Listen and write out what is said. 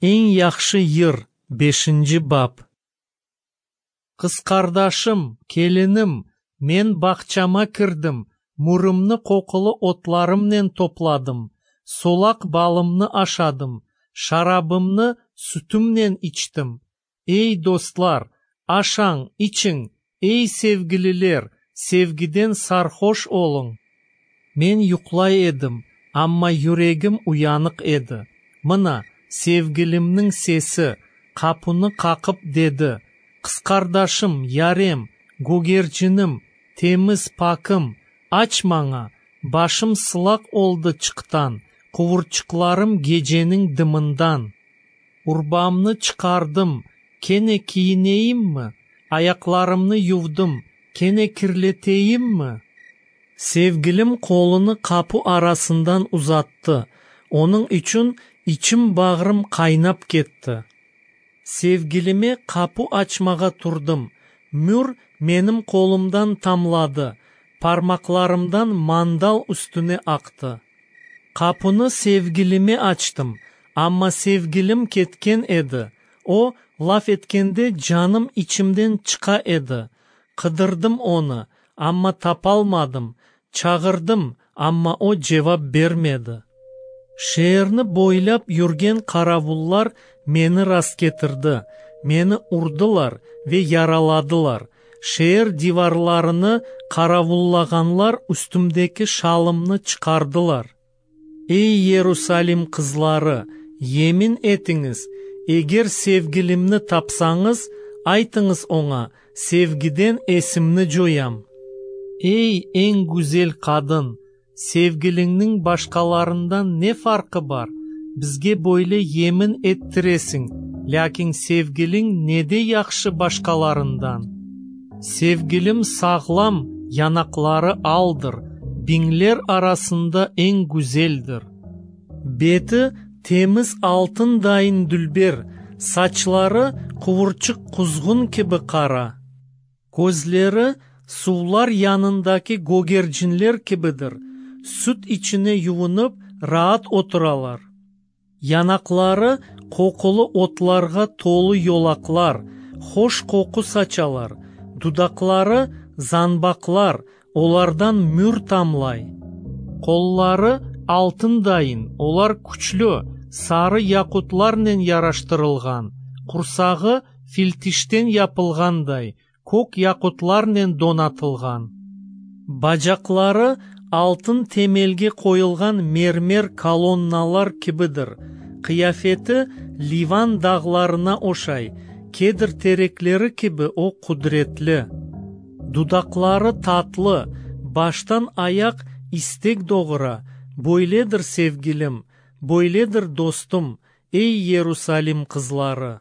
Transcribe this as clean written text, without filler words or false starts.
Эң жакшы йыр 5-бап. Кыз кардашым, келиним, мен бакчама кирдим, мурумну кокулу отларым менен топладым, солак балымны ашадым, шарабымны сүтүм менен ичтим. Эй достлар, ашаң, ичиң, эй севгилилер, севгиден сархош олуң. Мен юклай эдим, амма юрегим уянык эди. Мына, севгилимдин сеси капыны какып деди: кыз кардашым, ярем, гогерчиним, темиз пакым, ач мага, башым сылак олду чыктан, куурчукларым кеженин дымындан. Урбамны чыкардым, кене кийинейимби? Аякларымны ювдум, кене кирлетейимби? Севгилим колуну капы арасынан узатты. Онун үчүн ичим багрым кайнап кетти. Севгилиме капы ачмага турдум. Мүр менин колумдан тамлады. Пармакларымдан мандал үстүнө акты. Капыны севгилиме ачтым, амма севгилим кеткен эди. О лаф эткенде жаным ичимден чыка эди. Кыдырдым ону, амма тапалмадым. Чагырдым, амма о жооп бермеди. Шээрни бойлап жүрген каравуллар мени раскетирди. Мени урдулар ве яраладылар. Шээр диварларыны каравуллаганлар үстүмдеки шалымны чыкардылар. Эй Иерусалим кызлары, емин этиңиз, эгер севгилимни тапсаңыз, айтыңыз оңа, севгиден эсимни жоям. Эй эң гүзел кадын, севгилиңнин башкаларындан не фаркы бар? Бизге бойле емин эттиресиң, лякин севгилиң неде жакшы башкаларындан? Севгилим саглам, янаклары алдыр, биңлер арасында эң гүзелдир. Бети темиз алтындайын дүлбер, сачлары куурчук кузгун кеби кара. Көзлери суулар янындаки гогерчинлер кебидир. Сүт ичине юунуп, раат отуралар. Янаклары кокулу отларга толу йолаклар, хош коку сачалар. Дудаклары занбаклар, олардан мүр тамлай. Коллары алтындайын, олар күчлүү, сары якутлар менен яраштырылган. Курсагы филтиштен япылгандай, көк якутлар менен донатылган. Бажаклары алтын темелге коюлган мермер колонналар кебидир. Кыяфети Ливан дагларына ошай, кедир тереклери кеби о кудуретли. Дудаклары татлы, баштан аяк истек догура. Бойледир севгилим, бойледир достум, эй Иерусалим кызлары.